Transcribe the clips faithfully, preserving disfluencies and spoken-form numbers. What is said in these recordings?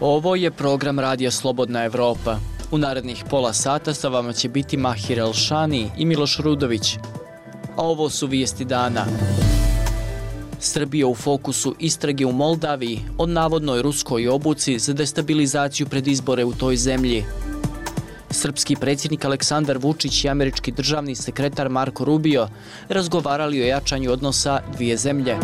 Ovo je program Radija Slobodna Evropa. U narednih pola sata sa vama će biti Mahir Elšani i Miloš Rudović. A ovo su vijesti dana. Srbija u fokusu istrage u Moldaviji od navodnoj ruskoj obuci za destabilizaciju pred izbore u toj zemlji. Srpski predsjednik Aleksandar Vučić i američki državni sekretar Marko Rubio razgovarali o jačanju odnosa dvije zemlje.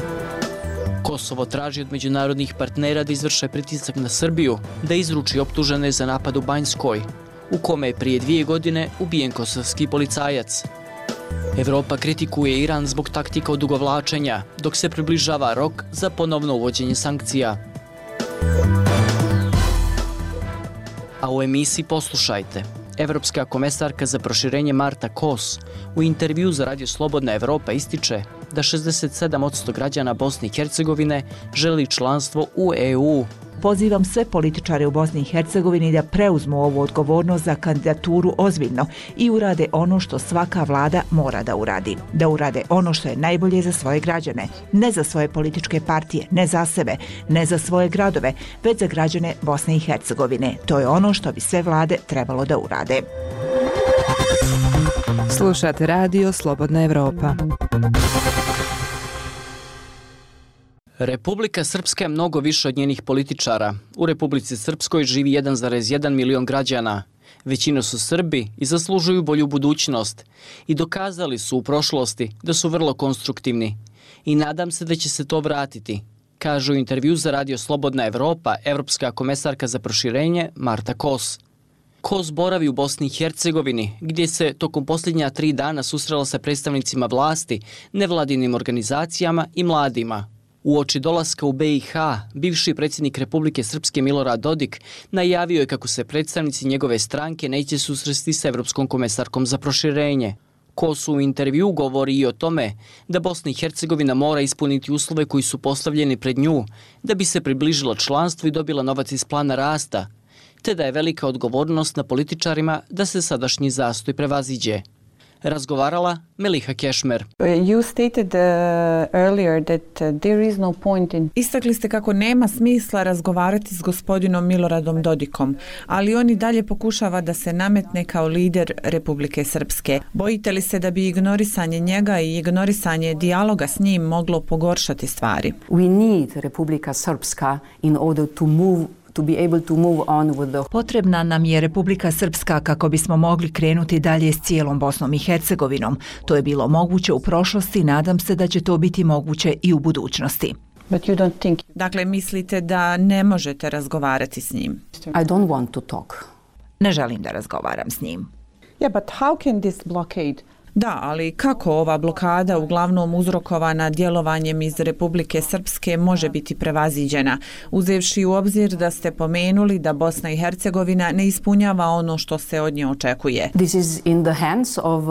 Kosovo traži od međunarodnih partnera da izvrše pritisak na Srbiju, da izruči optužene za napad u Banjskoj, u kome je prije dvije godine ubijen kosovski policajac. Evropa kritikuje Iran zbog taktika odugovlačenja, dok se približava rok za ponovno uvođenje sankcija. A u emisiji poslušajte. Evropska komesarka za proširenje Marta Kos u intervju za Radio Slobodna Evropa ističe da šezdeset sedam posto građana Bosne i Hercegovine želi članstvo u E U. Pozivam sve političare u Bosni i Hercegovini da preuzmu ovu odgovornost za kandidaturu ozbiljno i urade ono što svaka vlada mora da uradi. Da urade ono što je najbolje za svoje građane. Ne za svoje političke partije, ne za sebe, ne za svoje gradove, već za građane Bosne i Hercegovine. To je ono što bi sve vlade trebalo da urade. Slušate Radio Slobodna Evropa. Republika Srpska je mnogo više od njenih političara. U Republici Srpskoj živi jedan zarez jedan milion građana. Većina su Srbi i zaslužuju bolju budućnost. I dokazali su u prošlosti da su vrlo konstruktivni. I nadam se da će se to vratiti, kaže u intervju za Radio Slobodna Evropa evropska komesarka za proširenje Marta Kos. Kos boravi u Bosni i Hercegovini, gdje se tokom posljednja tri dana susrela sa predstavnicima vlasti, nevladinim organizacijama i mladima. Uoči dolaska u B i H, bivši predsjednik Republike Srpske Milorad Dodik najavio je kako se predstavnici njegove stranke neće susresti s Evropskom komesarkom za proširenje. Kos u intervju govori i o tome da Bosna i Hercegovina mora ispuniti uslove koji su postavljeni pred nju da bi se približila članstvu i dobila novac iz plana rasta, te da je velika odgovornost na političarima da se sadašnji zastoj prevaziđe. Razgovarala Meliha Kešmer. You stated uh, earlier that uh, there is no point in... Istakli ste kako nema smisla razgovarati s gospodinom Miloradom Dodikom, ali on i dalje pokušava da se nametne kao lider Republike Srpske. Bojite li se da bi ignorisanje njega i ignorisanje dijaloga s njim moglo pogoršati stvari? We need Republika Srpska in order to move to be able to move on with the... Potrebna nam je Republika Srpska kako bismo mogli krenuti dalje s cijelom Bosnom i Hercegovinom. To je bilo moguće u prošlosti i nadam se da će to biti moguće i u budućnosti. But you don't think... Dakle, mislite da ne možete razgovarati s njim? I don't want to talk. Ne želim da razgovaram s njim. Yeah, but how can this blockade... Da, ali kako ova blokada, uglavnom uzrokovana djelovanjem iz Republike Srpske, može biti prevaziđena, uzevši u obzir da ste pomenuli da Bosna i Hercegovina ne ispunjava ono što se od nje očekuje? This is in the hands of uh,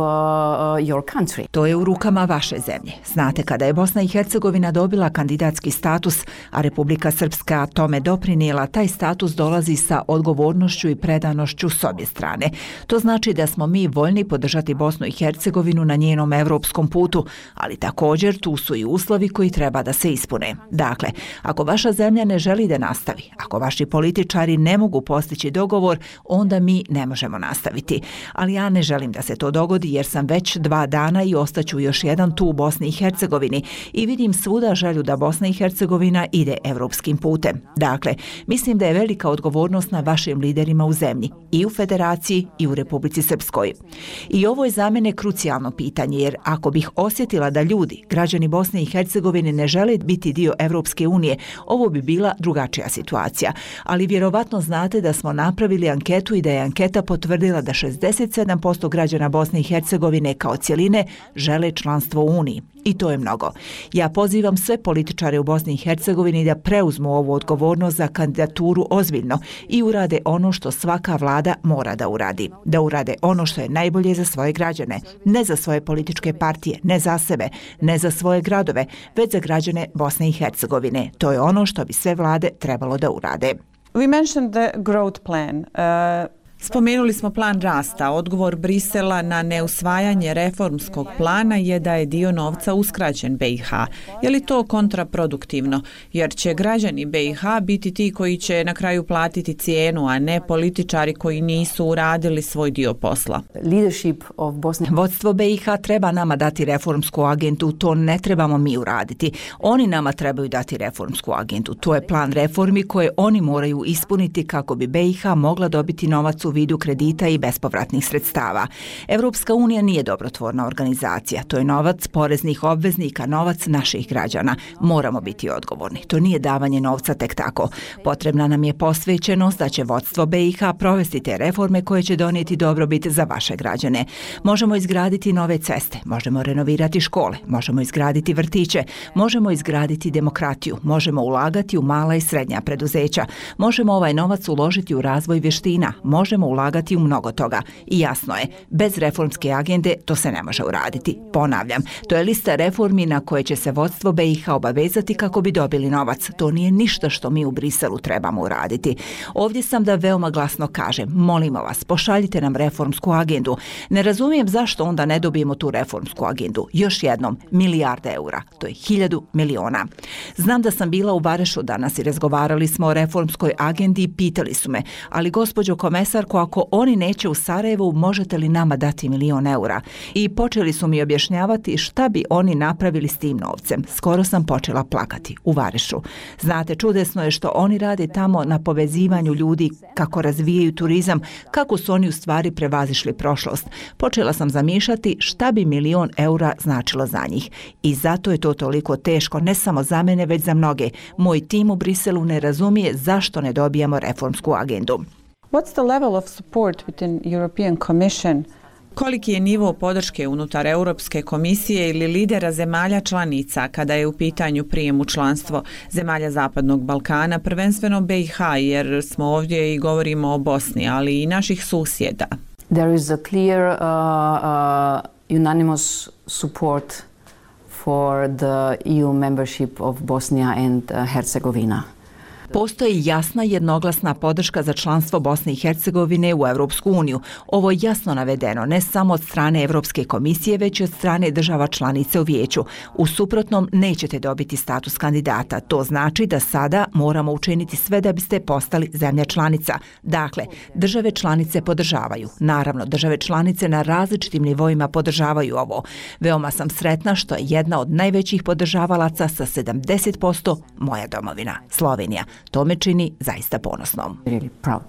your country. To je u rukama vaše zemlje. Znate, kada je Bosna i Hercegovina dobila kandidatski status, a Republika Srpska tome doprinijela, taj status dolazi sa odgovornošću i predanošću s obje strane. To znači da smo mi voljni podržati Bosnu i Hercegovinu na njenom evropskom putu, ali također tu su i uslovi koji treba da se ispune. Dakle, ako vaša zemlja ne želi da nastavi, ako vaši političari ne mogu postići dogovor, onda mi ne možemo nastaviti. Ali ja ne želim da se to dogodi jer sam već dva dana i ostaću još jedan tu u Bosni i Hercegovini i vidim svuda želju da Bosna i Hercegovina ide evropskim putem. Dakle, mislim da je velika odgovornost na vašim liderima u zemlji, i u Federaciji i u Republici Srpskoj. I ovo je za mene krucijalno pitanje, jer ako bih osjetila da ljudi, građani Bosne i Hercegovine ne žele biti dio Evropske unije, ovo bi bila drugačija situacija. Ali vjerovatno znate da smo napravili anketu i da je anketa potvrdila da šezdeset sedam posto građana Bosne i Hercegovine kao cjeline žele članstvo u Uniji. I to je mnogo. Ja pozivam sve političare u Bosni i Hercegovini da preuzmu ovu odgovornost za kandidaturu ozbiljno i urade ono što svaka vlada mora da uradi. Da urade ono što je najbolje za svoje građane. Ne za svoje političke partije, ne za sebe, ne za svoje gradove, već za građane Bosne i Hercegovine. To je ono što bi sve vlade trebalo da urade. We mentioned the growth plan. Uh... Spomenuli smo plan rasta. Odgovor Brisela na neusvajanje reformskog plana je da je dio novca uskraćen B i H. Je li to kontraproduktivno? Jer će građani B i H biti ti koji će na kraju platiti cijenu, a ne političari koji nisu uradili svoj dio posla. Vodstvo B i H treba nama dati reformsku agendu, to ne trebamo mi uraditi. Oni nama trebaju dati reformsku agendu. To je plan reformi koje oni moraju ispuniti kako bi B i H mogla dobiti novac u vidu kredita i bespovratnih sredstava. Evropska unija nije dobrotvorna organizacija. To je novac poreznih obveznika, novac naših građana. Moramo biti odgovorni. To nije davanje novca tek tako. Potrebna nam je posvećenost da će vodstvo B i H provesti te reforme koje će donijeti dobrobit za vaše građane. Možemo izgraditi nove ceste, možemo renovirati škole, možemo izgraditi vrtiće, možemo izgraditi demokratiju, možemo ulagati u mala i srednja preduzeća, možemo ovaj novac uložiti u razvoj vještina, možemo ulagati u mnogo toga. I jasno je, bez reformske agende to se ne može uraditi. Ponavljam, to je lista reformi na koje će se vodstvo B i H obavezati kako bi dobili novac. To nije ništa što mi u Briselu trebamo uraditi. Ovdje sam da veoma glasno kažem, molimo vas, pošaljite nam reformsku agendu. Ne razumijem zašto onda ne dobijemo tu reformsku agendu. Još jednom, milijarde eura, to je hiljadu miliona. Znam da sam bila u Varešu danas i razgovarali smo o reformskoj agendi i pitali su me, ali gospođo komesarko, ako oni neće u Sarajevu, možete li nama dati milion eura? I počeli su mi objašnjavati šta bi oni napravili s tim novcem. Skoro sam počela plakati u Varešu. Znate, čudesno je što oni rade tamo na povezivanju ljudi, kako razvijaju turizam, kako su oni u stvari prevazišli prošlost. Počela sam zamišljati šta bi milion eura značilo za njih. I zato je to toliko teško, ne samo za mene, već za mnoge. Moj tim u Briselu ne razumije zašto ne dobijamo reformsku agendu. What's the level of support within European Commission? Koliki je nivo podrške unutar Europske komisije ili lidera zemalja članica kada je u pitanju prijem u članstvo zemalja Zapadnog Balkana, prvenstveno B i H, jer smo ovdje i govorimo o Bosni, ali i naših susjeda? There is a clear uh, uh, unanimous support for the E U membership of Bosnia and Herzegovina. Postoji jasna jednoglasna podrška za članstvo Bosne i Hercegovine u Europsku uniju. Ovo je jasno navedeno ne samo od strane Europske komisije, već i od strane država članice u vijeću. U suprotnom nećete dobiti status kandidata. To znači da sada moramo učiniti sve da biste postali zemlja članica. Dakle, države članice podržavaju. Naravno, države članice na različitim nivoima podržavaju ovo. Veoma sam sretna što je jedna od najvećih podržavalaca sa sedamdeset posto moja domovina, Slovenija. To me čini zaista ponosnom. Really proud.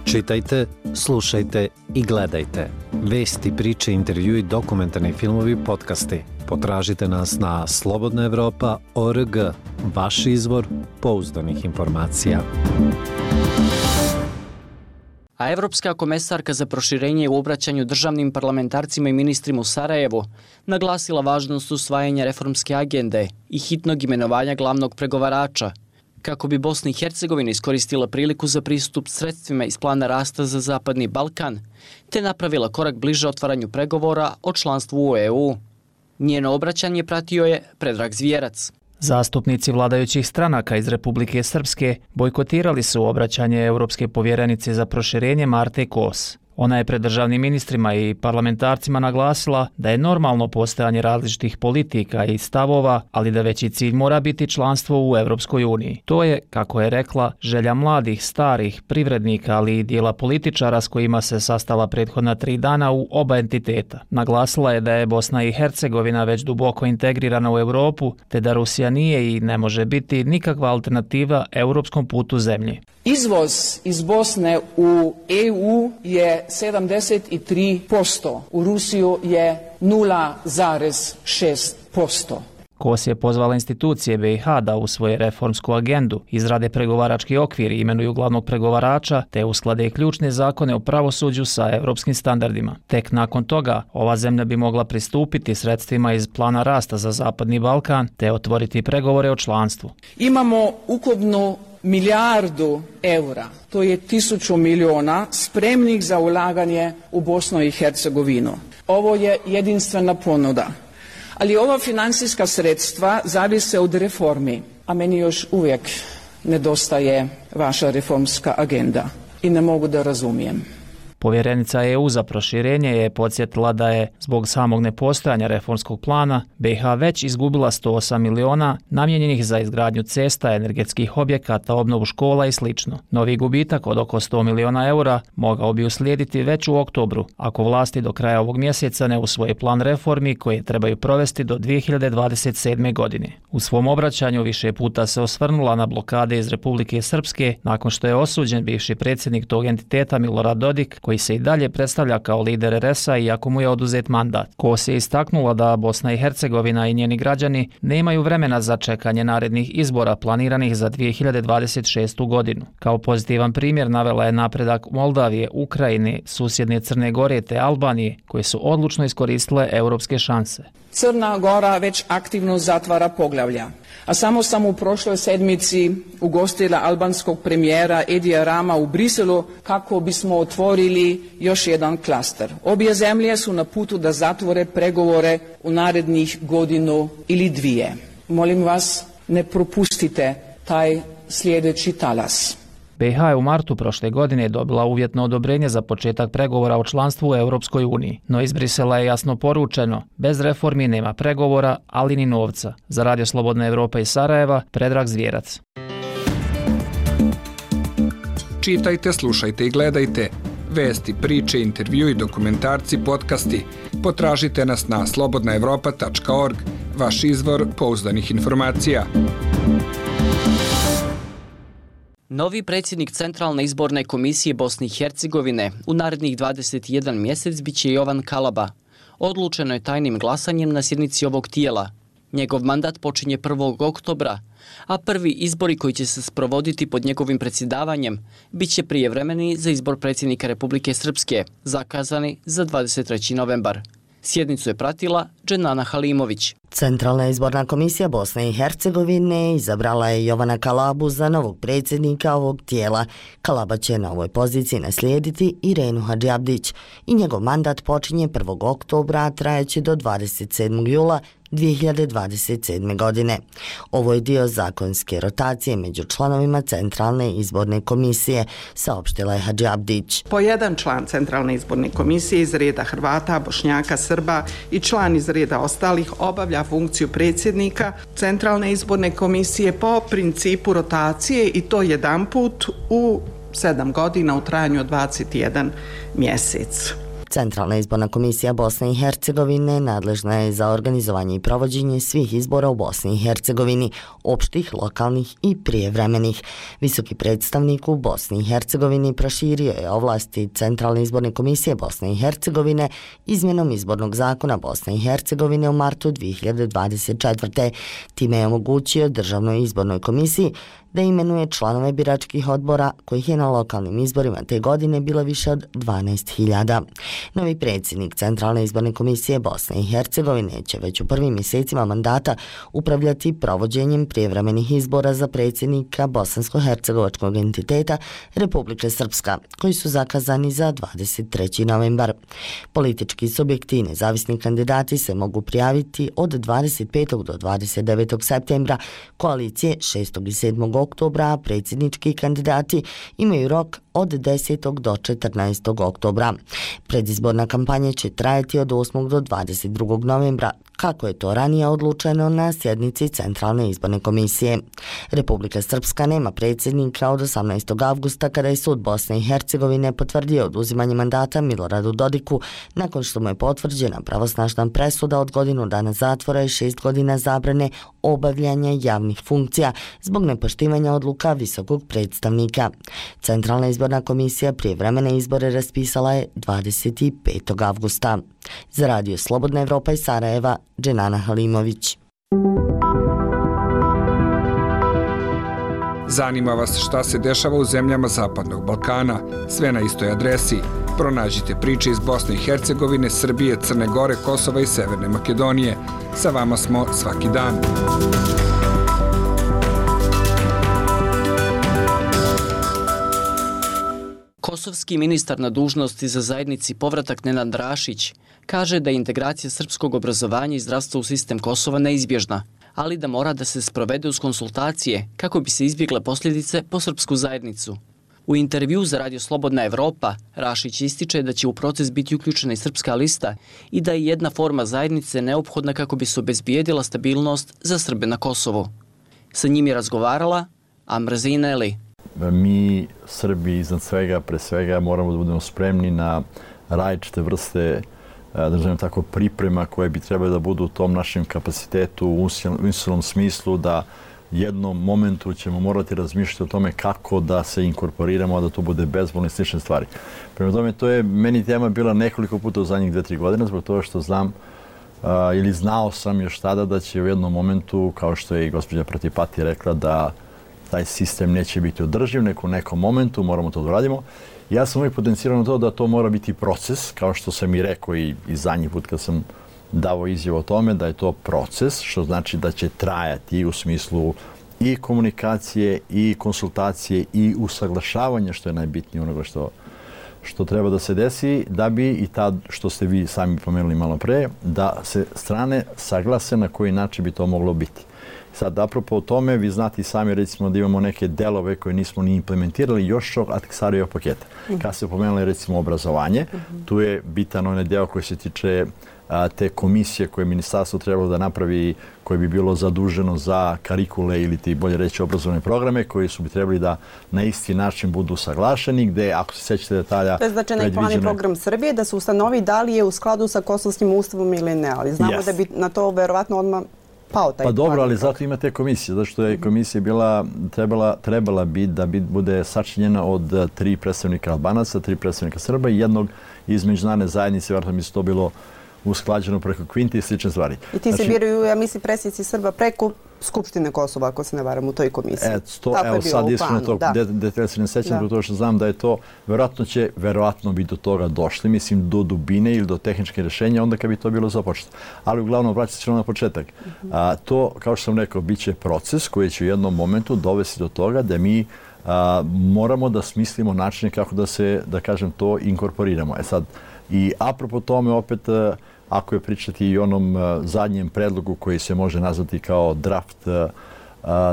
Čitajte, slušajte i gledajte. Vesti, priče, intervjui, dokumentarni filmovi, podcasti. Potražite nas na slobodna evropa tačka org, vaš izvor pouzdanih informacija. A Evropska komesarka za proširenje u obraćanju državnim parlamentarcima i ministrima u Sarajevu naglasila važnost usvajanja reformske agende i hitnog imenovanja glavnog pregovarača, kako bi Bosna i Hercegovina iskoristila priliku za pristup sredstvima iz plana rasta za Zapadni Balkan, te napravila korak bliže otvaranju pregovora o članstvu u E U. Njeno obraćanje pratio je Predrag Zvijerac. Zastupnici vladajućih stranaka iz Republike Srpske bojkotirali su obraćanje Europske povjerenice za proširenje Marte Kos. Ona je pred državnim ministrima i parlamentarcima naglasila da je normalno postojanje različitih politika i stavova, ali da veći cilj mora biti članstvo u Europskoj uniji. To je, kako je rekla, želja mladih, starih, privrednika, ali i dijela političara s kojima se sastala prethodna tri dana u oba entiteta. Naglasila je da je Bosna i Hercegovina već duboko integrirana u Europu, te da Rusija nije i ne može biti nikakva alternativa europskom putu zemlje. Izvoz iz Bosne u E U je sedamdeset tri posto, u Rusiju je nula zarez šest posto. Kos je pozvala institucije B i H da usvoje reformsku agendu, izrade pregovarački okvir i imenuju glavnog pregovarača, te usklade ključne zakone o pravosuđu sa europskim standardima. Tek nakon toga, ova zemlja bi mogla pristupiti sredstvima iz plana rasta za Zapadni Balkan, te otvoriti pregovore o članstvu. Imamo ukupnu milijardu eura, to je tisuću miliona, spremnih za ulaganje u Bosnu i Hercegovinu. Ovo je jedinstvena ponuda. Ali ova financijska sredstva zavise od reformi, a meni još uvijek nedostaje vaša reformska agenda i ne mogu da razumijem. Povjerenica E U za proširenje je podsjetila da je zbog samog nepostojanja reformskog plana B iH već izgubila sto osam miliona namijenjenih za izgradnju cesta, energetskih objekata, obnovu škola i sl. Novi gubitak od oko sto miliona eura mogao bi uslijediti već u oktobru ako vlasti do kraja ovog mjeseca ne usvoje plan reformi koje trebaju provesti do dvije hiljade dvadeset sedme. godine. U svom obraćanju više puta se osvrnula na blokade iz Republike Srpske nakon što je osuđen bivši predsjednik tog entiteta Milorad Dodik, koji se i dalje predstavlja kao lider R S A iako mu je oduzet mandat. Kos je istaknula da Bosna i Hercegovina i njeni građani nemaju vremena za čekanje narednih izbora planiranih za dvije hiljade dvadeset šestu. godinu. Kao pozitivan primjer navela je napredak Moldavije, Ukrajine, susjedne Crne Gore te Albanije, koje su odlučno iskoristile europske šanse. Crna Gora već aktivno zatvara poglavlja, a samo sam u prošloj sedmici ugostila albanskog premijera Edija Rama u Briselu kako bismo otvorili još jedan klaster. Obje zemlje su na putu da zatvore pregovore u narednih godinu ili dvije. Molim vas, ne propustite taj sljedeći talas. B iH je u martu prošle godine dobila uvjetno odobrenje za početak pregovora o članstvu u Europskoj uniji, no iz Brisela je jasno poručeno, bez reformi nema pregovora, ali ni novca. Za Radio Slobodna Evropa iz Sarajeva, Predrag Zvjerac. Čitajte, slušajte i gledajte vesti, priče, intervju i dokumentarci, podcasti. Potražite nas na slobodna evropa tačka org, vaš izvor pouzdanih informacija. Novi predsjednik Centralne izborne komisije Bosne i Hercegovine u narednih dvadeset jedan mjesec biće Jovan Kalaba. Odlučeno je tajnim glasanjem na sjednici ovog tijela. Njegov mandat počinje prvog oktobra, a prvi izbori koji će se sprovoditi pod njegovim predsjedavanjem biće prijevremeni za izbor predsjednika Republike Srpske, zakazani za dvadeset treći novembar. Sjednicu je pratila Dženana Halimović. Centralna izborna komisija Bosne i Hercegovine izabrala je Jovana Kalabu za novog predsjednika ovog tijela. Kalaba će na ovoj poziciji naslijediti Irenu Hadžiabdić i njegov mandat počinje prvog oktobra, a trajeće do dvadeset sedmog jula dvije hiljade dvadeset sedme. godine. Ovo je dio zakonske rotacije među članovima Centralne izborne komisije, saopštila je Hadžiabdić. Po jedan član Centralne izborne komisije iz reda Hrvata, Bošnjaka, Srba i član iz reda ostalih obavlja funkciju predsjednika Centralne izborne komisije po principu rotacije i to jedan put u sedam godina u trajanju od dvadeset jedan mjesec. Centralna izborna komisija Bosne i Hercegovine nadležna je za organizovanje i provođenje svih izbora u Bosni i Hercegovini, opštih, lokalnih i prijevremenih. Visoki predstavnik u Bosni i Hercegovini proširio je ovlasti Centralne izborne komisije Bosne i Hercegovine izmjenom izbornog zakona Bosne i Hercegovine u martu dvije hiljade dvadeset četvrte. Time je omogućio Državnoj izbornoj komisiji da imenuje članove biračkih odbora, kojih je na lokalnim izborima te godine bilo više od dvanaest hiljada. Novi predsjednik Centralne izborne komisije Bosne i Hercegovine će već u prvim mjesecima mandata upravljati provođenjem prijevremenih izbora za predsjednika bosansko-hercegovačkog entiteta Republike Srpska, koji su zakazani za dvadeset treći novembar. Politički subjekti i nezavisni kandidati se mogu prijaviti od dvadeset petog do dvadeset devetog septembra, koalicije šestog i sedmog oktobra, a predsjednički kandidati imaju rok od desetog do četrnaestog oktobra. Predizborna kampanja će trajati od osmog do dvadeset drugog novembra, kako je to ranije odlučeno na sjednici Centralne izborne komisije. Republika Srpska nema predsjednika od osamnaestog avgusta kada je sud Bosne i Hercegovine potvrdio oduzimanje mandata Miloradu Dodiku nakon što mu je potvrđena pravosnažna presuda od godinu dana zatvora i šest godina zabrane obavljanja javnih funkcija zbog nepoštivanja odluka visokog predstavnika. Centralna izborna komisija prijevremene izbore raspisala je dvadeset petog avgusta. Za Radio Slobodna Evropa iz Sarajeva, Dženana Halimović. Zanima vas šta se dešava u zemljama Zapadnog Balkana? Sve na istoj adresi. Pronađite priče iz Bosne i Hercegovine, Srbije, Crne Gore, Kosova i Severne Makedonije. Sa vama smo svaki dan. Kosovski ministar na dužnosti za zajednici povratak Nenad Rašić kaže da je integracija srpskog obrazovanja i zdravstva u sistem Kosova neizbježna, ali da mora da se sprovede uz konsultacije kako bi se izbjegle posljedice po srpsku zajednicu. U intervju za Radio Slobodna Evropa Rašić ističe da će u proces biti uključena i srpska lista i da je jedna forma zajednice neophodna kako bi se obezbijedila stabilnost za Srbe na Kosovu. Sa njim je razgovarala Amrzina Eli. Mi, Srbi, iznad svega, pre svega, moramo da budemo spremni na različite vrste da želim tako, priprema koje bi trebali da budu u tom našem kapacitetu u usilnom smislu, da jednom momentu ćemo morati razmišljati o tome kako da se inkorporiramo, a da to bude bezbolno i slične stvari. Prema tome, to je meni tema bila nekoliko puta u zadnjih dve, tri godine, zbog toga što znam a, ili znao sam još tada da će u jednom momentu, kao što je i gospođa Pratipati rekla, da taj sistem neće biti održiv, nego u nekom momentu moramo to da radimo. Ja sam uvijek potencirao na to da to mora biti proces, kao što sam i rekao i, i zadnji put kad sam davo izjavu o tome, da je to proces, što znači da će trajati u smislu i komunikacije, i konsultacije, i usaglašavanja, što je najbitnije onoga što, što treba da se desi, da bi i tad, što ste vi sami pomenuli malo pre, da se strane saglase na koji način bi to moglo biti. Sad, apropo o tome, vi znate i sami, recimo, da imamo neke delove koje nismo ni implementirali još od Ahtisarijevog paketa. Kad se pomenuli, recimo, obrazovanje, tu je bitan onaj deo koji se tiče a, te komisije koje je ministarstvo trebalo da napravi, koje bi bilo zaduženo za karikule ili ti bolje reći obrazovne programe, koji su bi trebali da na isti način budu saglašeni, gde, ako se sećate detalja... To je znači na plan i program Srbije da se ustanovi da li je u skladu sa kosovskim ustavom ili ne, ali znamo yes. da bi na to verovatno odmah pao taj Pa dobro, plan. ali zato ima te komisije, zato što je komisija bila, trebala, trebala biti da bi, bude sačinjena od tri predstavnika Albanaca, tri predstavnika Srba i jednog iz međunarodne zajednice, vjerojatno mi se to bilo usklađeno preko Kvinti i slične stvari. I ti se znači, biraju, ja mislim, predsjednici Srba preko Skupštine Kosova, ako se ne varam, u toj komisiji. E, to, evo sad iskreno tog detalja se ne sećam, zbog toga što znam da je to, verovatno će, verovatno bi do toga došli, mislim, do dubine ili do tehničke rješenja, onda kad bi to bilo započeto. Ali uglavnom, vraćati se na početak. Uh-huh. A, to, kao što sam rekao, bit će proces koji će u jednom momentu dovesti do toga da mi a, moramo da smislimo načine kako da se, da kažem, to inkorporiramo. E sad, i apropo tome, opet, ako je pričati i onom uh, zadnjem predlogu koji se može nazvati kao draft uh,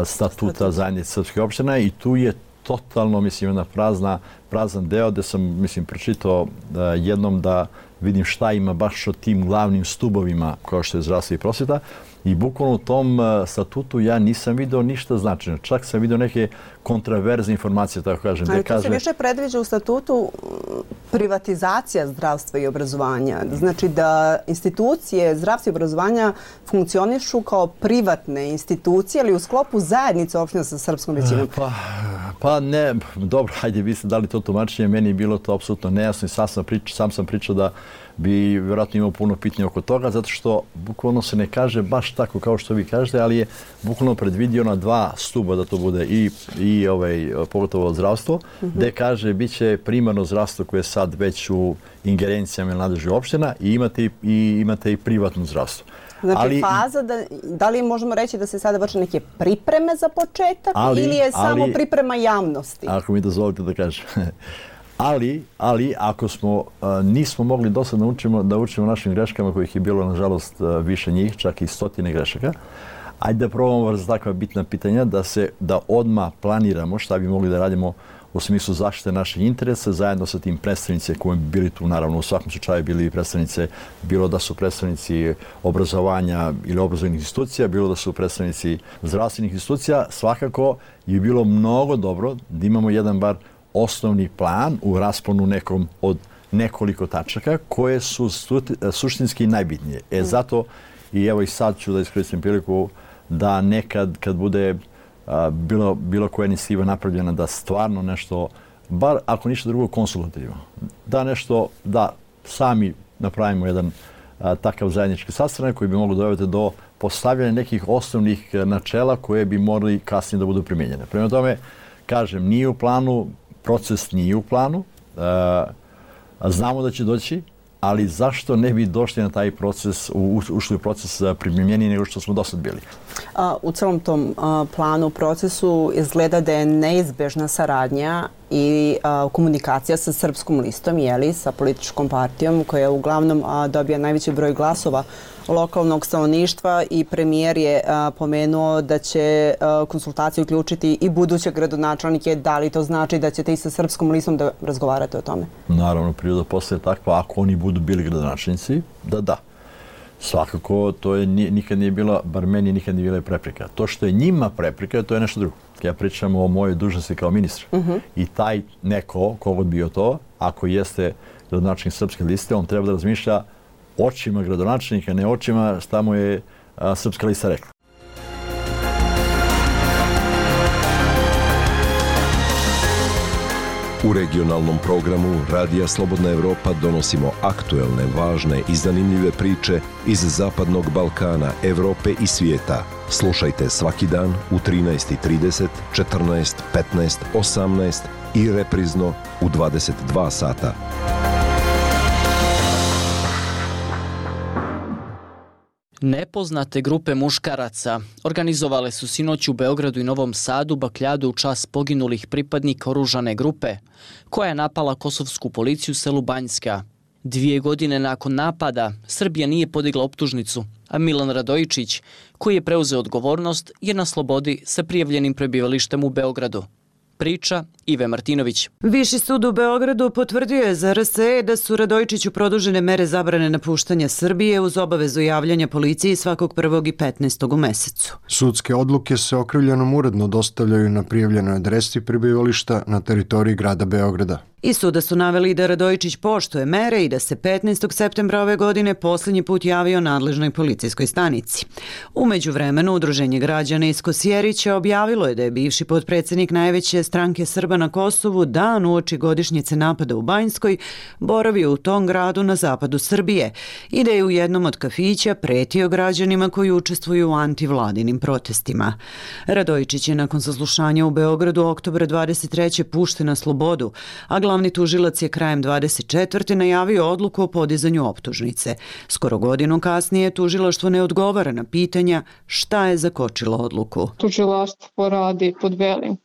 statuta zajednice srpskih opština i tu je totalno, mislim, jedna prazna, prazan deo gde sam, mislim, pročitao uh, jednom da vidim šta ima baš o tim glavnim stubovima kao što je zdravstvo i prosvjeta i bukvalno u tom uh, statutu ja nisam video ništa značajno. Čak sam video neke kontraverzne informacije, tako kažem. Ali tu kaže... se više predviđa u statutu privatizacija zdravstva i obrazovanja. Znači da institucije zdravstva i obrazovanja funkcionišu kao privatne institucije, ali u sklopu zajednice opština sa srpskom većinom. Pa, pa ne, dobro, hajde, vi ste dali to tumačenje, meni je bilo to apsolutno nejasno i sam sam, priča, sam sam pričao da bi vjerojatno imao puno pitanja oko toga, zato što bukvalno se ne kaže baš tako kao što vi kažete, ali je bukvalno predvidio na dva stuba da to bude i, i ovaj, pogotovo zdravstvo, mm-hmm. gde kaže bit će primarno zdravstvo koje je sad već u ingerencijama ili nadležnih opština i imate i, imate i privatno zdravstvo. Znači ali, faza, da, da li možemo reći da se sada vrše neke pripreme za početak ali, ili je samo ali, priprema javnosti? Ako mi dozvolite da kažem. Ali, ali ako smo, a, nismo mogli do sad naučimo, da učimo našim greškama, kojih je bilo, nažalost, a, više njih, čak i stotine grešaka, ajde da probamo za takva bitna pitanja, da se da odmah planiramo šta bi mogli da radimo u smislu zaštite naših interesa, zajedno sa tim predstavnice koji bi bili tu, naravno, u svakom slučaju bili predstavnice, bilo da su predstavnici obrazovanja ili obrazovnih institucija, bilo da su predstavnici zdravstvenih institucija, svakako je bilo mnogo dobro da imamo jedan bar osnovni plan u rasponu nekom od nekoliko tačaka koje su suštinski najbitnije. E zato, i evo i sad ću da iskoristim priliku da nekad kad bude a, bilo, bilo koja inicijativa napravljena da stvarno nešto, bar ako ništa drugo konsultativno, da nešto, da sami napravimo jedan a, takav zajednički sastanak koji bi moglo dovesti do postavljanja nekih osnovnih načela koje bi morali kasnije da budu primijenjene. Prema tome, kažem, nije u planu, proces nije u planu, a, znamo da će doći, ali zašto ne bi došli na taj proces, ušli u proces primjenjeniji nego što smo do sad bili? U celom tom planu, procesu izgleda da je neizbežna saradnja i komunikacija sa Srpskom listom, jeli, sa političkom partijom koja uglavnom dobija najveći broj glasova lokalnog stanovništva i premijer je a, pomenuo da će a, konsultacije uključiti i buduće gradonačelnike. Da li to znači da ćete i sa Srpskom listom da razgovarate o tome? Naravno, priroda postaje takva, ako oni budu bili gradonačelnici, da da. Svakako, to je, nikad nije bila, bar meni nikad nije bila prepreka. To što je njima prepreka, to je nešto drugo. Ja pričam o mojoj dužnosti kao ministra. Uh-huh. I taj neko, kogod bio to, ako jeste gradonačelnik Srpske liste, on treba da razmišlja očima gradonačelnika, ne očima šta mu je a, Srpska lista rekla. U regionalnom programu Radija Slobodna Evropa donosimo aktuelne, važne i zanimljive priče iz Zapadnog Balkana, Evrope i svijeta. Slušajte svaki dan u trinaest i trideset, četrnaest, petnaest, osamnaest i reprizno u dvadeset dva sata. Nepoznate grupe muškaraca organizovale su sinoć u Beogradu i Novom Sadu bakljadu u čast poginulih pripadnika oružane grupe, koja je napala kosovsku policiju u selu Banjska. Dvije godine nakon napada, Srbija nije podigla optužnicu, a Milan Radojičić, koji je preuzeo odgovornost, je na slobodi sa prijavljenim prebivalištem u Beogradu. Priča Ive Martinović. Viši sud u Beogradu potvrdio je za R S E da su Radojičiću produžene mere zabrane napuštanja Srbije uz obavezu javljanja policiji svakog prvog i petnaestog u mesecu. Sudske odluke se okrivljenom uredno dostavljaju na prijavljenoj adresi prebivališta na teritoriji grada Beograda. Iz suda su naveli da Radojičić poštuje mere i da se petnaestog septembra ove godine posljednji put javio nadležnoj policijskoj stanici. U međuvremenu, Udruženje građana iz Kosjerića objavilo je da je bivši potpredsjednik najveće stranke Srba na Kosovu dan uoči godišnjice napada u Banjskoj boravio u tom gradu na zapadu Srbije i da je u jednom od kafića pretio građanima koji učestvuju u antivladinim protestima. Radojičić je nakon saslušanja u Beogradu oktobra dvadeset treće pušten na slobodu, a glavni tužilac je krajem dvadeset četvrte najavio odluku o podizanju optužnice. Skoro godinu kasnije tužilaštvo ne odgovara na pitanja šta je zakočilo odluku. Tužilaštvo radi pod velikim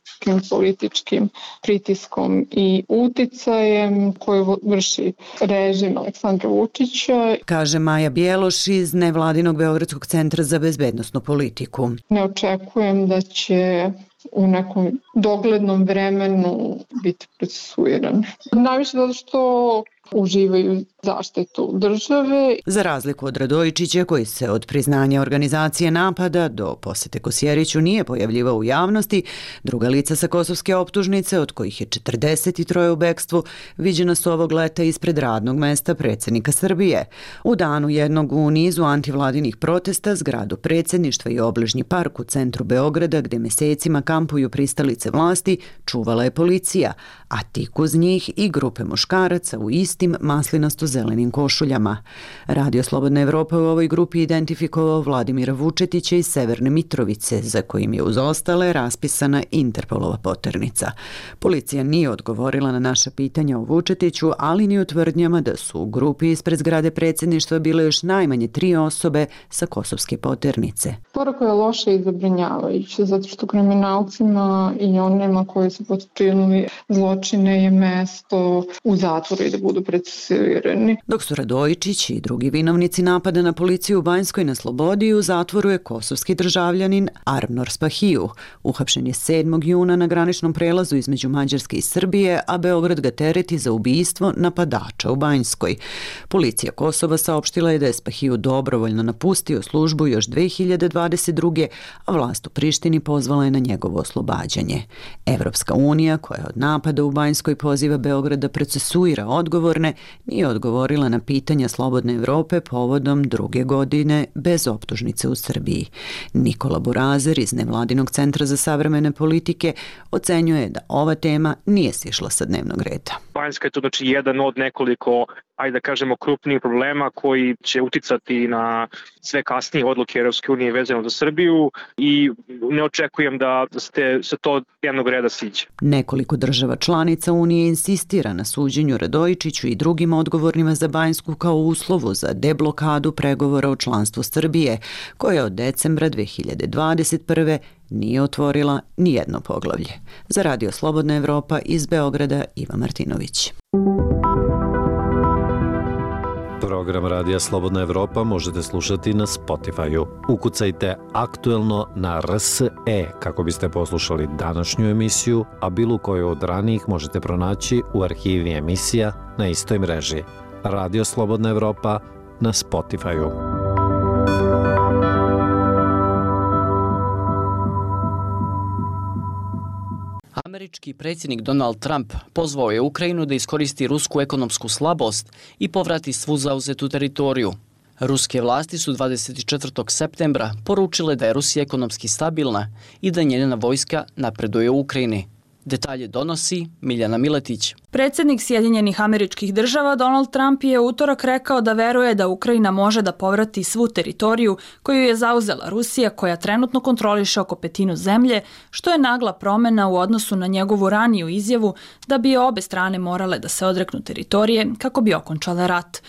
političkim pritiskom i uticajem koji vrši režim Aleksandra Vučića. Kaže Maja Bjeloš iz nevladinog Beogradskog centra za bezbednosnu politiku. Ne očekujem da će u nekom doglednom vremenu biti procesuiran. Najviše zato što uživaju zaštitu države. Za razliku od Radojičića, koji se od priznanja organizacije napada do posete Kosjeriću nije pojavljivao u javnosti, druga lica sa kosovske optužnice, od kojih je četrdeset tri u bekstvu, viđena su ovog leta ispred radnog mesta predsjednika Srbije. U danu jednog u nizu antivladinih protesta zgradu predsjedništva i obližnji park u centru Beograda, gde mesecima kampuju pristalice vlasti, čuvala je policija, a tik uz njih i grupe muškaraca u istim maslinasto-zelenim košuljama. Radio Slobodna Evropa u ovoj grupi identifikovao Vladimira Vučetića iz Severne Mitrovice, za kojim je uz ostale raspisana Interpolova poternica. Policija nije odgovorila na naša pitanja o Vučetiću, ali ni o tvrdnjama da su u grupi ispred zgrade predsjedništva bile još najmanje tri osobe sa kosovske poternice. Poruka je loša i zabrinjavajuća, zato što kriminalcima i onima koji su počinili zločine je mesto u zatvoru i da budu procesuirani. Dok su Radojičić i drugi vinovnici napada na policiju u Banjskoj na slobodi, u zatvoru je kosovski državljanin Armnor Spahiju. Uhapšen je sedmog juna na graničnom prelazu između Mađarske i Srbije, a Beograd ga tereti za ubistvo napadača u Banjskoj. Policija Kosova saopštila je da je Spahiju dobrovoljno napustio službu još dve hiljade dvadeset druge. a vlast u Prištini pozvala je na njegovo oslobađanje. Evropska unija, koja od napada u Banjskoj poziva Beograd da procesuira odgovorne, nije odgovorila na pitanja Slobodne Evrope povodom druge godine bez optužnice u Srbiji. Nikola Burazer iz Nevladinog centra za savremene politike ocenjuje da ova tema nije sišla sa dnevnog reda. Banjska je to znači jedan od nekoliko, ajde da kažemo, krupnijih problema koji će uticati na sve kasnije odluke Evropske unije vezano za Srbiju i ne očekujem da ste se to dnevnog reda siđe. Nekoliko država članica Unije insistira na suđenju Radojičiću i drugim odgovornima za Banjsku kao uslovu za deblokadu pregovora o članstvu Srbije, koja od decembra dve hiljade dvadeset prve nije otvorila ni jedno poglavlje. Za Radio Slobodna Evropa iz Beograda, Iva Martinović. Program Radija Slobodna Evropa možete slušati na Spotify-u. Ukucajte aktuelno na R S E kako biste poslušali današnju emisiju, a bilo koju od ranijih možete pronaći u arhivi emisija na istoj mreži. Radio Slobodna Evropa na Spotify-u. Američki predsjednik Donald Trump pozvao je Ukrajinu da iskoristi rusku ekonomsku slabost i povrati svu zauzetu teritoriju. Ruske vlasti su dvadeset četvrtog septembra poručile da je Rusija ekonomski stabilna i da njena vojska napreduje u Ukrajini. Detalje donosi Miljana Miletić. Predsjednik Sjedinjenih Američkih Država Donald Trump je u utorak rekao da veruje da Ukrajina može da povrati svu teritoriju koju je zauzela Rusija, koja trenutno kontroliše oko petinu zemlje, što je nagla promjena u odnosu na njegovu raniju izjavu da bi obe strane morale da se odreknu teritorije kako bi okončale rat.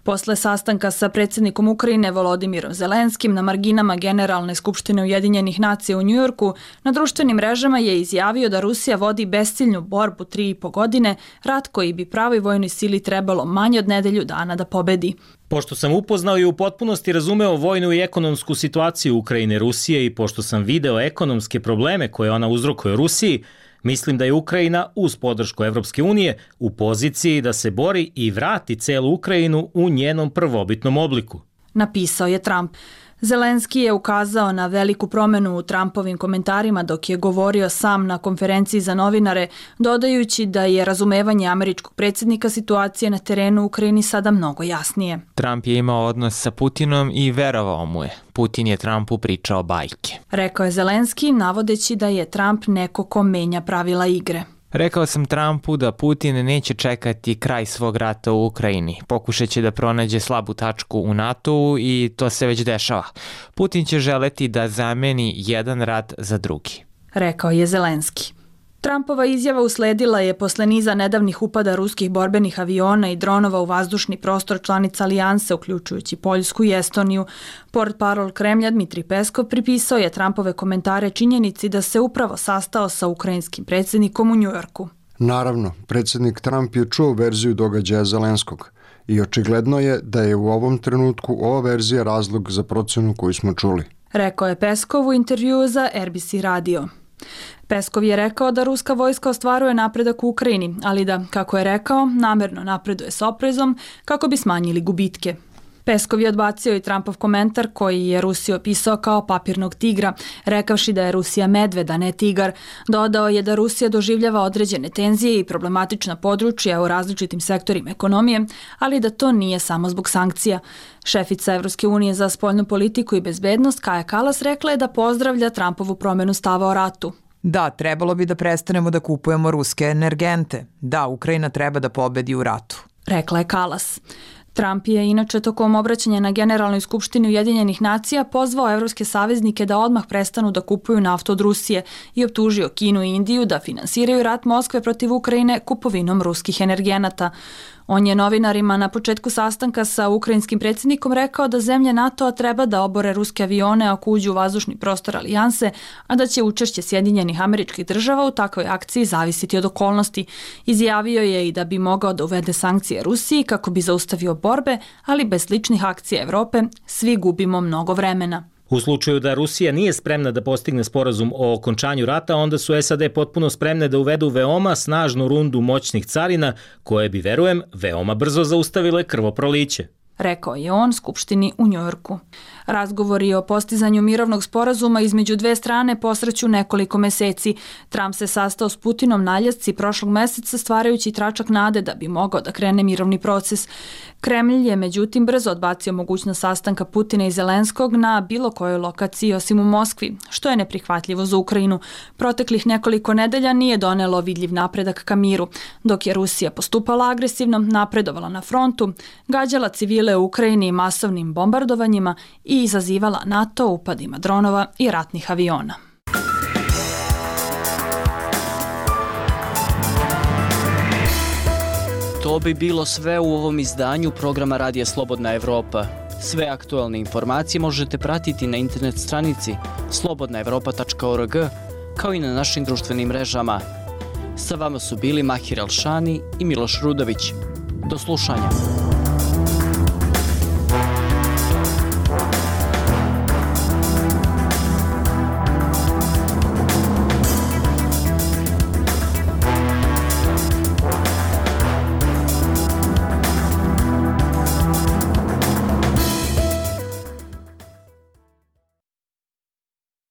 Posle sastanka sa predsjednikom Ukrajine Volodimirom Zelenskim na marginama Generalne skupštine Ujedinjenih nacija u Njujorku, na društvenim mrežama je izjavio da Rusija vodi besciljnu borbu tri i po godine, rat koji bi pravoj vojnoj sili trebalo manje od nedelju dana da pobedi. Pošto sam upoznao i u potpunosti razumeo vojnu i ekonomsku situaciju Ukrajine i Rusije i pošto sam video ekonomske probleme koje ona uzrokuje Rusiji, mislim da je Ukrajina uz podršku Evropske unije u poziciji da se bori i vrati celu Ukrajinu u njenom prvobitnom obliku. Napisao je Trump. Zelenski je ukazao na veliku promjenu u Trumpovim komentarima dok je govorio sam na konferenciji za novinare, dodajući da je razumevanje američkog predsjednika situacije na terenu u Ukrajini sada mnogo jasnije. Trump je imao odnos sa Putinom i verovao mu je. Putin je Trumpu pričao bajke. Rekao je Zelenski, navodeći da je Trump neko ko menja pravila igre. Rekao sam Trumpu da Putin neće čekati kraj svog rata u Ukrajini. Pokušat će da pronađe slabu tačku u NATO-u i to se već dešava. Putin će želeti da zameni jedan rat za drugi. Rekao je Zelenski. Trumpova izjava usledila je posle niza nedavnih upada ruskih borbenih aviona i dronova u vazdušni prostor članica Alijanse, uključujući Poljsku i Estoniju. Portparol Kremlja Dmitrij Peskov pripisao je Trumpove komentare činjenici da se upravo sastao sa ukrajinskim predsjednikom u Njujorku. Naravno, predsjednik Trump je čuo verziju događaja Zelenskog i očigledno je da je u ovom trenutku ova verzija razlog za procenu koju smo čuli. Rekao je Peskov u intervjuu za R B C radio. Peskov je rekao da ruska vojska ostvaruje napredak u Ukrajini, ali da, kako je rekao, namerno napreduje s oprezom kako bi smanjili gubitke. Peskov je odbacio i Trumpov komentar koji je Rusiju opisao kao papirnog tigra, rekavši da je Rusija medved, a ne tigar. Dodao je da Rusija doživljava određene tenzije i problematična područja u različitim sektorima ekonomije, ali da to nije samo zbog sankcija. Šefica Evropske unije za spoljnu politiku i bezbednost Kaja Kallas rekla je da pozdravlja Trumpovu promjenu stava o ratu. Da, trebalo bi da prestanemo da kupujemo ruske energente. Da, Ukrajina treba da pobedi u ratu. Rekla je Kallas. Trump je inače tokom obraćanja na Generalnoj skupštini Ujedinjenih nacija pozvao evropske saveznike da odmah prestanu da kupuju naftu od Rusije i optužio Kinu i Indiju da finansiraju rat Moskve protiv Ukrajine kupovinom ruskih energenata. On je novinarima na početku sastanka sa ukrajinskim predsjednikom rekao da zemlje NATO-a treba da obore ruske avione ako uđu u vazdušni prostor Alijanse, a da će učešće Sjedinjenih Američkih Država u takvoj akciji zavisiti od okolnosti. Izjavio je i da bi mogao da uvede sankcije Rusiji kako bi zaustavio borbe, ali bez sličnih akcija Evrope svi gubimo mnogo vremena. U slučaju da Rusija nije spremna da postigne sporazum o okončanju rata, onda su S A D potpuno spremne da uvedu veoma snažnu rundu moćnih carina, koje bi, verujem, veoma brzo zaustavile krvoproliće. Rekao je on Skupštini u Njujorku. Razgovori o postizanju mirovnog sporazuma između dve strane posreću nekoliko meseci. Trump se sastao s Putinom na Aljasci prošlog meseca, stvarajući tračak nade da bi mogao da krene mirovni proces. Kremlj je međutim brzo odbacio mogućnost sastanka Putina i Zelenskog na bilo kojoj lokaciji osim u Moskvi, što je neprihvatljivo za Ukrajinu. Proteklih nekoliko nedelja nije donelo vidljiv napredak ka miru, dok je Rusija postupala agresivno, napredovala na frontu, gađala civile u Ukrajini masovnim bombardovanjima i izazivala NATO upadima dronova i ratnih aviona. To bi bilo sve u ovom izdanju programa Radija Slobodna Evropa. Sve aktualne informacije možete pratiti na internet stranici slobodna evropa tačka org kao i na našim društvenim mrežama. Sa vama su bili Mahir Alšani i Miloš Rudović. Do slušanja.